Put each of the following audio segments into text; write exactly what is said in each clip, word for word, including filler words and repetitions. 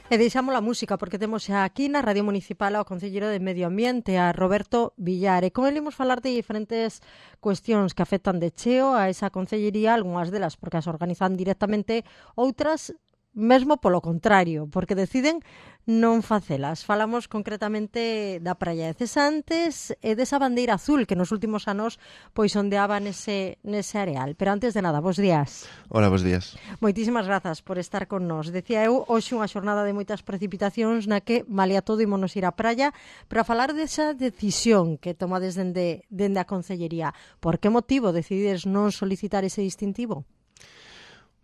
E deixamos a música porque temos xa aquí na Radio Municipal ao Concelleiro de Medio Ambiente, a Roberto Villar, e con ele imos falar de diferentes cuestións que afectan de cheo a esa concellería, algunhas delas porque as organizan directamente, outras mesmo polo contrario, porque deciden non facelas. Falamos concretamente da praia de Cesantes e desa bandeira azul que nos últimos anos pois ondeaba nese, nese areal. Pero antes de nada, bos días. Hola, bos días. Moitísimas grazas por estar con nós. Decía eu, hoxe unha xornada de moitas precipitacións na que, malia todo, ímonos ir á praia para falar desa decisión que tomades dende, dende a Concellería. Por que motivo decidides non solicitar ese distintivo?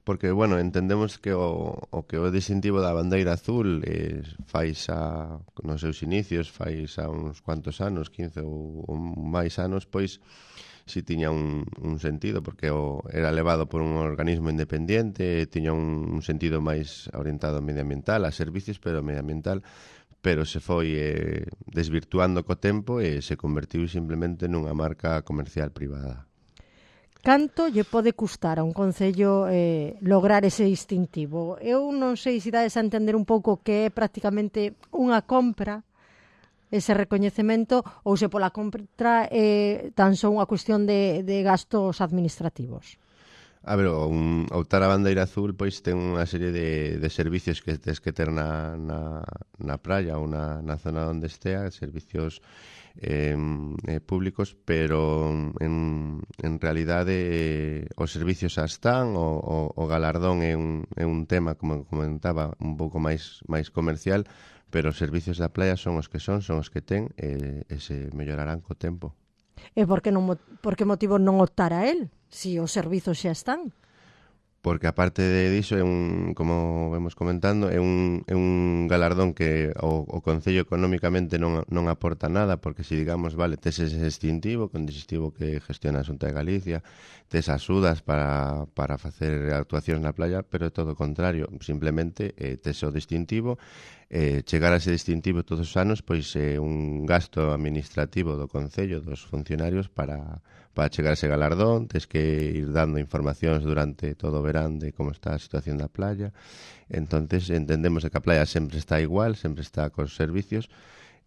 Porque, bueno, entendemos que o, o que o distintivo da bandeira azul eh, fais a, nos seus inicios, fais a uns cuantos anos, quince ou, ou máis anos, pois si tiña un, un sentido, porque o, era levado por un organismo independiente, tiña un, un sentido máis orientado medioambiental, a servicios, pero medioambiental, pero se foi eh, desvirtuando co tempo e se convertiu simplemente nunha marca comercial privada. Canto lle pode custar a un concello eh, lograr ese distintivo? Eu non sei se dades a entender un pouco que é prácticamente unha compra ese recoñecemento ou se pola compra é eh, tan só unha cuestión de, de gastos administrativos. A ver, un, optar a bandeira azul pois ten unha serie de, de servicios que tens que ter na, na, na praia ou na, na zona onde estea, servicios eh, eh, públicos, pero en, en realidade eh, os servicios xa están, o, o, o galardón é un, é un tema, como comentaba, un pouco máis máis comercial, pero os servicios da playa son os que son, son os que ten e, e se mellorarán co tempo. E por que, non, por que motivo non optar a él, se si os servizos xa están? Porque aparte de diso, é un, como vemos comentando, é un, é un galardón que o, o Concello económicamente non, non aporta nada, porque se digamos, vale, tes ese distintivo, con distintivo que gestiona a Xunta de Galicia, tes axudas para, para facer actuacións na playa, pero é todo o contrario, simplemente eh, tes o distintivo, eh, chegar a ese distintivo todos os anos, pois é eh, un gasto administrativo do Concello, dos funcionarios, para... para chegar a ese galardón, tens que ir dando informacións durante todo o verán de como está a situación da playa. Entonces entendemos de que a playa sempre está igual, sempre está cos servicios,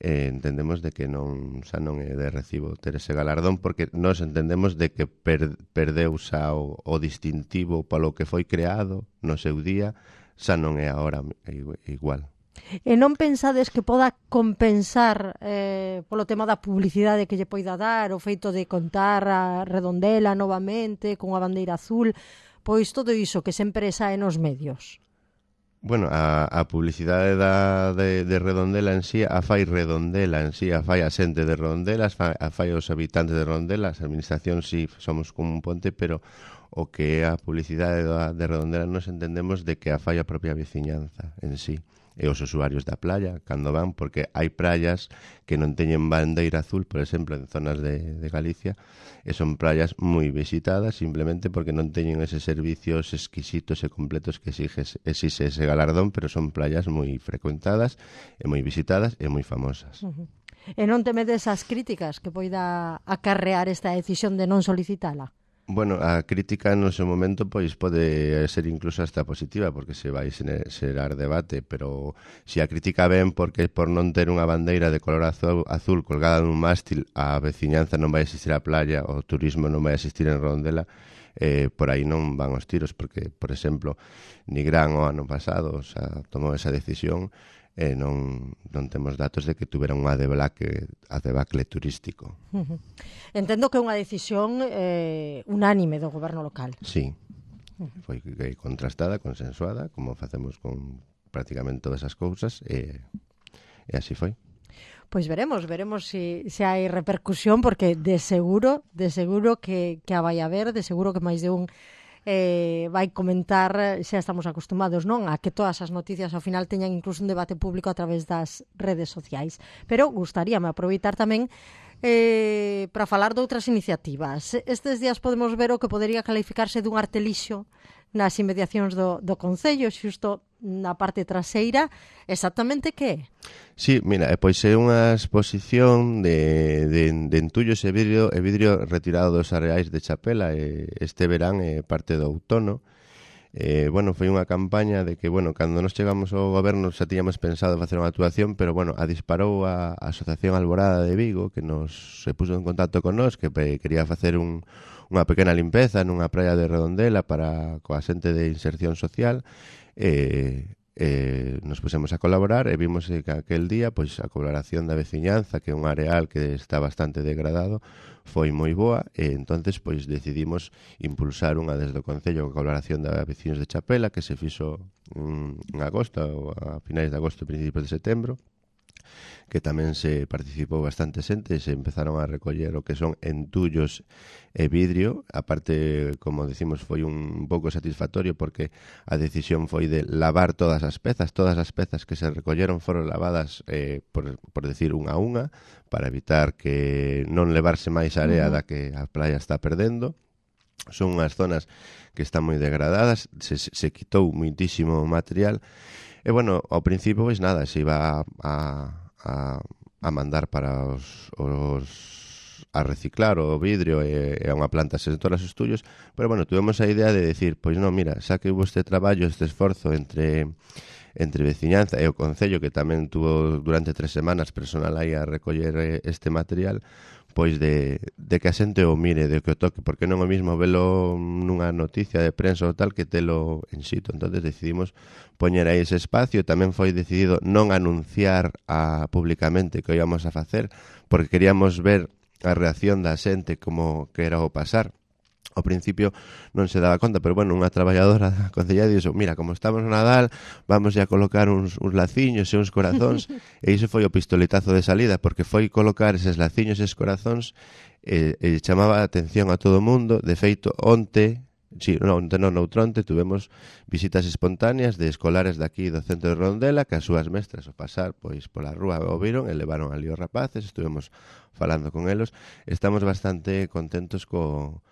e entendemos de que non xa non é de recibo ter ese galardón, porque nós entendemos de que per, perdeu xa o, o distintivo polo que foi creado no seu día, xa non é agora igual. E non pensades que poda compensar eh, polo tema da publicidade que lle poida dar, o feito de contar a Redondela novamente, con a bandeira azul, pois todo iso que sempre sae nos medios? Bueno, a, a publicidade da, de, de Redondela en sí, a fai Redondela en sí, a fai a xente de Redondela, a fai os habitantes de Redondela, as administracións sí somos como un ponte, pero o que é a publicidade da, de Redondela nos entendemos de que a fai a propia veciñanza en sí. E os usuarios da playa, cando van, porque hai praias que non teñen bandeira azul, por exemplo, en zonas de, de Galicia, e son praias moi visitadas simplemente porque non teñen eses servicios exquisitos e completos que exiges, exixe ese galardón, pero son praias moi frecuentadas e moi visitadas e moi famosas. Uh-huh. E non temedes as críticas que poida acarrear esta decisión de non solicitala? Bueno, a crítica no seu momento pois pode ser incluso hasta positiva, porque se vai xerar debate, pero se a crítica ven porque por non ter unha bandeira de color azul, azul colgada nun mástil, a veciñanza non vai existir a playa, o turismo non vai existir en Redondela, eh, por aí non van os tiros, porque, por exemplo, Nigrán o ano pasado xa tomou esa decisión e non, non temos datos de que tuvera unha debacle, a debacle turístico. Uh-huh. Entendo que é unha decisión eh, unánime do goberno local. Sí, foi contrastada, consensuada, como facemos con prácticamente todas as cousas, e, e así foi. Pois veremos, veremos se si, si hai repercusión, porque de seguro, de seguro que, que a vai haber, de seguro que máis de un eh, vai comentar, xa estamos acostumados, non, a que todas as noticias ao final teñan incluso un debate público a través das redes sociais. Pero gustaríame aproveitar tamén eh, para falar de outras iniciativas. Estes días podemos ver o que podería calificarse dun artelixo nas inmediacións do, do Concello, xusto na parte traseira. Exactamente que é? Sí, mira, pois é unha exposición de, de, de entullos e vidrio, e vidrio retirado dos areais de Chapela. E este verán é parte do outono. Eh, bueno, foi unha campaña de que, bueno, cando nos chegamos ao goberno xa tiñamos pensado facer unha actuación, pero, bueno, a disparou a, a Asociación Alborada de Vigo, que nos se puso en contacto con nós, que pe, quería facer un, unha pequena limpeza nunha praia de Redondela para coa xente de inserción social, e... Eh, nos pusemos a colaborar e vimos que aquel día pois a colaboración da veciñanza, que é un areal que está bastante degradado, foi moi boa, e entonces pois decidimos impulsar unha desde o Concello a colaboración da veciños de Chapela, que se fixo mm, en agosto, ou a finais de agosto, principios de setembro, que tamén se participou bastante xente, se empezaron a recoller o que son entullos e vidrio. Aparte, como decimos, foi un pouco satisfactorio porque a decisión foi de lavar todas as pezas. Todas as pezas que se recolleron foron lavadas, eh, por, por decir, unha a unha, para evitar que non levarse máis area da que a playa está perdendo. Son unhas zonas que están moi degradadas, se, se quitou muitísimo material. E, bueno, ao principio, pois nada, se iba a... a A, a mandar para os, os a reciclar o vidrio e, e a unha planta xestora os estullos, pero bueno, tuvemos a idea de decir, pois non, mira, xa que hubo este traballo, este esforzo entre entre veciñanza e o Concello, que tamén tuvo durante tres semanas personal aí a recoller este material, pois de, de que a xente o mire, de que o toque, porque non é o mismo velo nunha noticia de prensa ou tal que telo en sitio. Entonces decidimos poñer aí ese espacio. Tamén foi decidido non anunciar a, públicamente que o íbamos a facer, porque queríamos ver a reacción da xente como que era o pasar. Ao principio non se daba conta, pero, bueno, unha traballadora da Concellería dixo, mira, como estamos no Nadal, vamos a colocar uns, uns laciños e uns corazóns, e iso foi o pistoletazo de salida, porque foi colocar eses laciños e eses corazóns e, e chamaba a atención a todo o mundo. De feito, onte, si, non, onte non, noutronte, tuvemos visitas espontáneas de escolares daqui do centro de Redondela, que as súas mestras ao pasar pois pola rúa o viron e levaron ali os rapaces, estuvemos falando con elos. Estamos bastante contentos co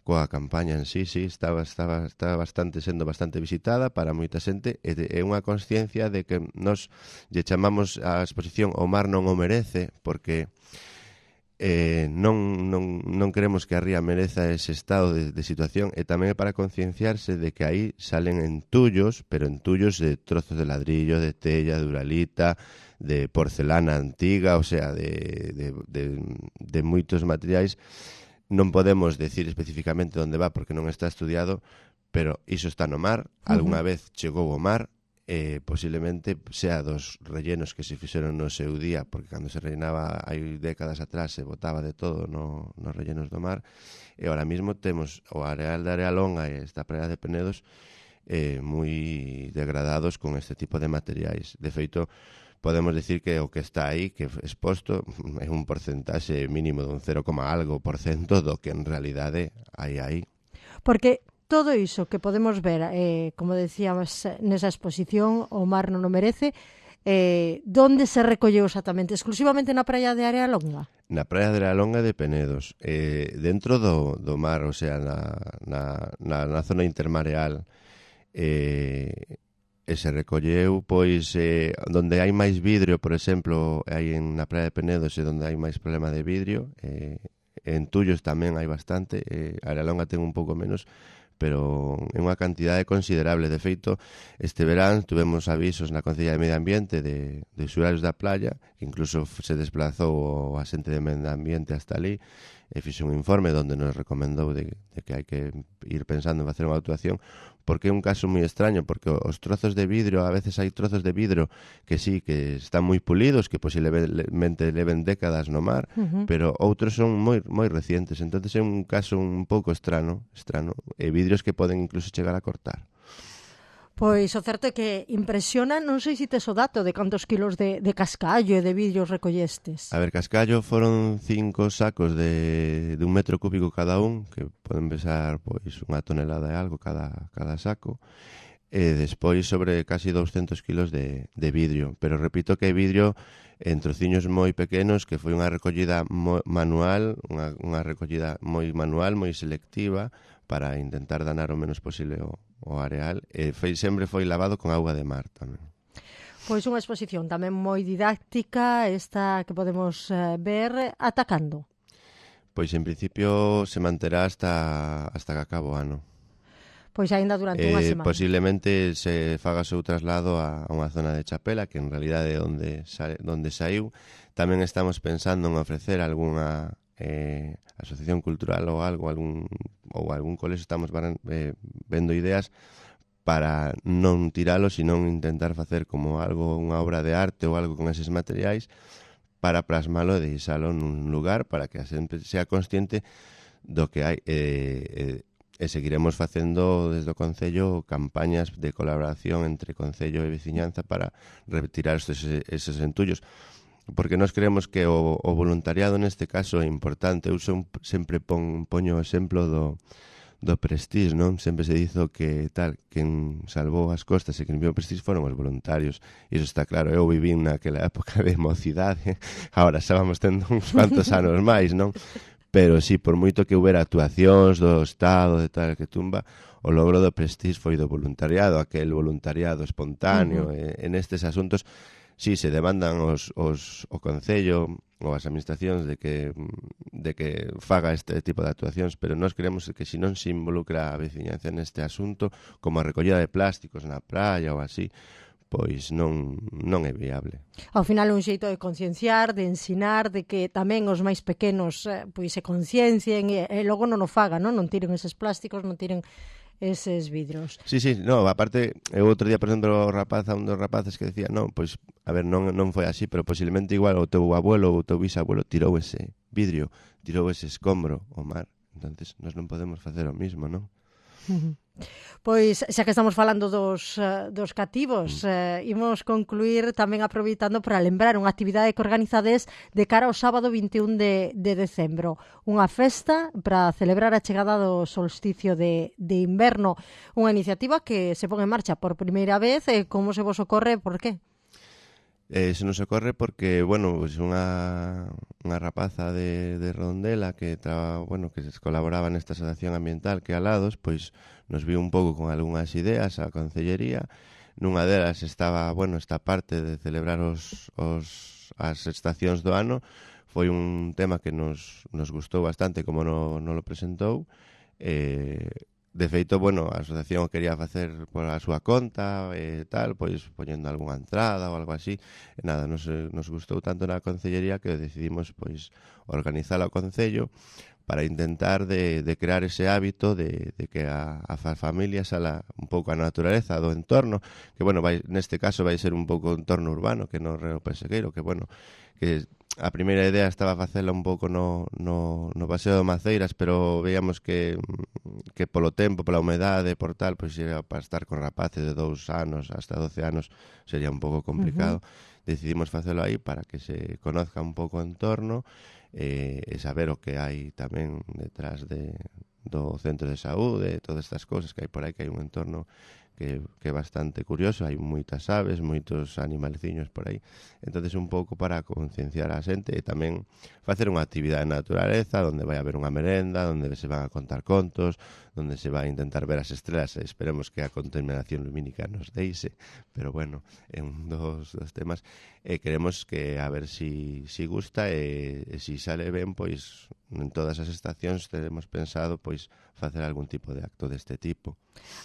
coa campaña en sí, sí, estaba, estaba, estaba bastante sendo bastante visitada para moita xente, e é unha consciencia de que nos lle chamamos a exposición O mar non o merece, porque eh, non, non, non queremos que a ría mereza ese estado de, de situación, e tamén é para concienciarse de que aí salen entullos, pero entullos de trozos de ladrillo, de tella, de uralita, de porcelana antiga, o sea, de, de, de, de moitos materiais. Non podemos decir especificamente onde va porque non está estudiado, pero iso está no mar, algunha uh-huh. vez chegou ao mar, e posiblemente sea dos rellenos que se fixeron no seu día, porque cando se rellenaba hai décadas atrás se botaba de todo no, nos rellenos do mar, e ahora mismo temos o areal de Arealonga e esta praia de Penedos eh, moi degradados con este tipo de materiais. De feito, podemos decir que o que está aí, que exposto, é un porcentaxe mínimo dun cero, algo por cento do que en realidade hai aí. Porque todo iso que podemos ver, eh, como decíamos nesa exposición, O mar non o merece, eh, donde se recolleu exactamente? Exclusivamente na praia de Arealonga? Na praia de Arealonga de Penedos, eh, dentro do, do mar, o sea, na, na, na, na zona intermareal, eh, e se recolleu, pois, eh, donde hai máis vidrio, por exemplo, hai en na praia de Penedos, e donde hai máis problema de vidrio, eh, en Tullos tamén hai bastante, eh, Arealonga ten un pouco menos, pero é unha cantidade considerable. De feito, este verán tuvemos avisos na Concellería de Medio Ambiente de, de usuarios da playa, que incluso se desplazou o asente de Medio Ambiente hasta ali, e fixe un informe onde nos recomendou de, de que hai que ir pensando en facer unha actuación, porque é un caso moi extraño, porque os trozos de vidro, a veces hai trozos de vidro que sí, que están moi pulidos, que posiblemente leven décadas no mar, uh-huh. pero outros son moi moi recientes, entonces é un caso un pouco estrano, estrano, e vidrios que poden incluso chegar a cortar. Pois o certo é que impresiona, non sei se tes o dato de cantos kilos de, de cascallo e de vidrios recollestes. A ver, cascallo foron cinco sacos de, de un metro cúbico cada un, que poden pesar pois unha tonelada e algo cada, cada saco, e despois sobre casi douscentos kilos de, de vidrio. Pero repito que é vidrio en trociños moi pequenos, que foi unha recollida mo, manual, unha, unha recollida moi manual, moi selectiva, para intentar danar o menos posible o, o areal, e foi, sempre foi lavado con auga de mar tamén. Pois unha exposición tamén moi didáctica, esta que podemos eh, ver atacando. Pois en principio se manterá hasta, hasta que acabe o ano. Pois aínda durante unha eh, semana. Posiblemente se faga o seu traslado a, a unha zona de Chapela, que en realidade é onde, sale, onde saiu. Tamén estamos pensando en ofrecer algunha eh, asociación cultural ou algo, algún, ou algún colexo. Estamos eh, vendo ideas para non tiralo, sino intentar facer como algo, unha obra de arte ou algo con eses materiais para plasmalo e deixalo nun lugar para que a xente sea consciente do que hai. Eh, eh, e seguiremos facendo desde o Concello campañas de colaboración entre Concello e veciñanza para retirar estes, eses entullos, porque nós creemos que o, o voluntariado neste caso é importante. Eu son, sempre pon, poño o exemplo do, do Prestige, non? Sempre se dizo que tal, quen salvou as costas e quen limpiou o Prestige foron os voluntarios, e iso está claro. Eu viví naquela época de mocidade, agora xa vamos tendo uns cuantos anos máis, non? Pero sí, por moito que houbera actuacións do Estado, de tal que tumba, o logro do Prestige foi do voluntariado, aquel voluntariado espontáneo. Uh-huh. E, en estes asuntos, sí, se demandan os, os, o Concello ou as administracións de que, de que faga este tipo de actuacións, pero nós creemos que se non se involucra a veciñanza neste asunto, como a recollida de plásticos na praia ou así, pois non, non é viable. Ao final é un xeito de concienciar, de ensinar, de que tamén os máis pequenos eh, pois se conciencien e, e logo non o fagan, non? Non tiren eses plásticos, non tiren eses vidros. Sí, sí, no, aparte, eu outro día, por exemplo, o rapaz, a un dos rapaces que decía, non, pois, a ver, non, non foi así, pero posiblemente igual o teu abuelo ou o teu bisabuelo tirou ese vidrio, tirou ese escombro ao mar. Entonces, nós non podemos facer o mismo, non? Uh-huh. Pois, xa que estamos falando dos, uh, dos cativos, uh, imos concluir tamén aproveitando para lembrar unha actividade que organizades de cara ao sábado vinte e un de, de decembro. Unha festa para celebrar a chegada do solsticio de, de inverno. Unha iniciativa que se pon en marcha por primeira vez. Eh, como se vos ocorre? Por qué? Eh, se nos ocorre porque, bueno, pues unha, unha rapaza de, de Rondela que tra, bueno, que colaboraba nesta asociación ambiental que alados, pois nos viu un pouco con algunhas ideas a Concellería. Nunha delas estaba, bueno, esta parte de celebrar os, os, as estacións do ano. Foi un tema que nos, nos gustou bastante como no, no lo presentou. Eh, De feito, bueno, a asociación quería facer por a súa conta e tal, pois poñendo algunha entrada ou algo así. E nada, nos, nos gustou tanto na Concellería que decidimos pois organizala o Concello para intentar de, de crear ese hábito de, de que a, a familia sala un pouco a naturaleza do entorno, que, bueno, vai, neste caso vai ser un pouco o entorno urbano, que no Reo Persegueiro, que, bueno, que a primeira idea estaba facela un pouco no, no, no Paseo de Maceiras, pero veíamos que, que polo tempo, pola humedade, por tal, pois era para estar con rapaces de dous anos hasta doce anos sería un pouco complicado. Uh-huh. Decidimos facelo aí para que se conozca un pouco o entorno eh, e saber o que hai tamén detrás de, do centro de saúde, todas estas cousas que hai por aí, que hai un entorno que, que é bastante curioso, hai moitas aves, moitos animalciños por aí. Entonces un pouco para concienciar a xente e tamén facer unha actividade de naturaleza onde vai haber unha merenda, onde se van a contar contos, onde se vai a intentar ver as estrelas e esperemos que a contaminación lumínica nos deixe, pero bueno, é un dos, dos temas e queremos que a ver si, si gusta e, e si sale ben, pois en todas as estacións teremos pensado pois facer algún tipo de acto deste tipo.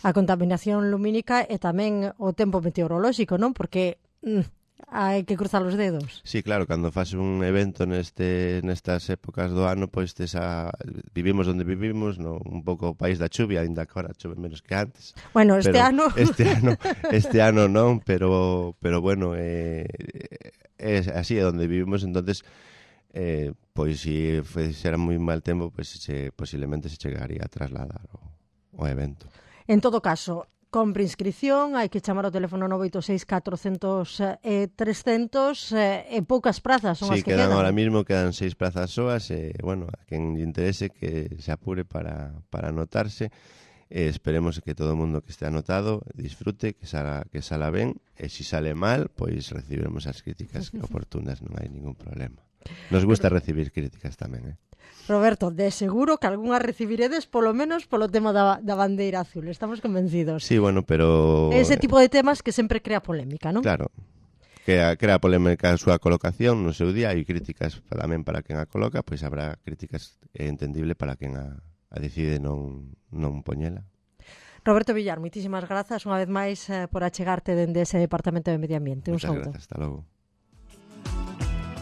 A contaminación lumínica e tamén o tempo meteorolóxico, non? Porque mm, hai que cruzar os dedos. Sí, claro, cando faz un evento neste nestas épocas do ano, pois esa, vivimos onde vivimos, no, un pouco o país da chuvia, ainda que ahora chove menos que antes. Bueno, este pero, ano... Este ano, este ano non, pero, pero bueno, é eh, así é onde vivimos, entonces... Eh, pois se fixera moi mal tempo, pois se, posiblemente se chegaría a trasladar o, o evento. En todo caso, compre inscripción, hai que chamar ao teléfono nove oito seis catrocentos e trescentos e eh, poucas prazas son sí, as que quedan. Sí, quedan ahora mismo, quedan seis prazas soas e, bueno, a quen lle interese que se apure para, para anotarse. E esperemos que todo o mundo que este anotado disfrute, que sala, que sala ben, e se sale mal, pois recibiremos as críticas oportunas, non hai ningún problema. Nos gusta recibir críticas tamén, eh? Roberto, de seguro que algunha recibiredes polo menos polo tema da, da bandeira azul, estamos convencidos. Sí, bueno, pero... Ese tipo de temas que sempre crea polémica, non? Claro, que crea polémica a súa colocación no seu día e críticas tamén para quen a coloca, pois habrá críticas entendible para quen a, a decide non, non poñela. Roberto Villar, moitísimas grazas unha vez máis eh, por achegarte dende ese Departamento de Medio Ambiente. Un Muchas saúdo. Gracias, hasta logo.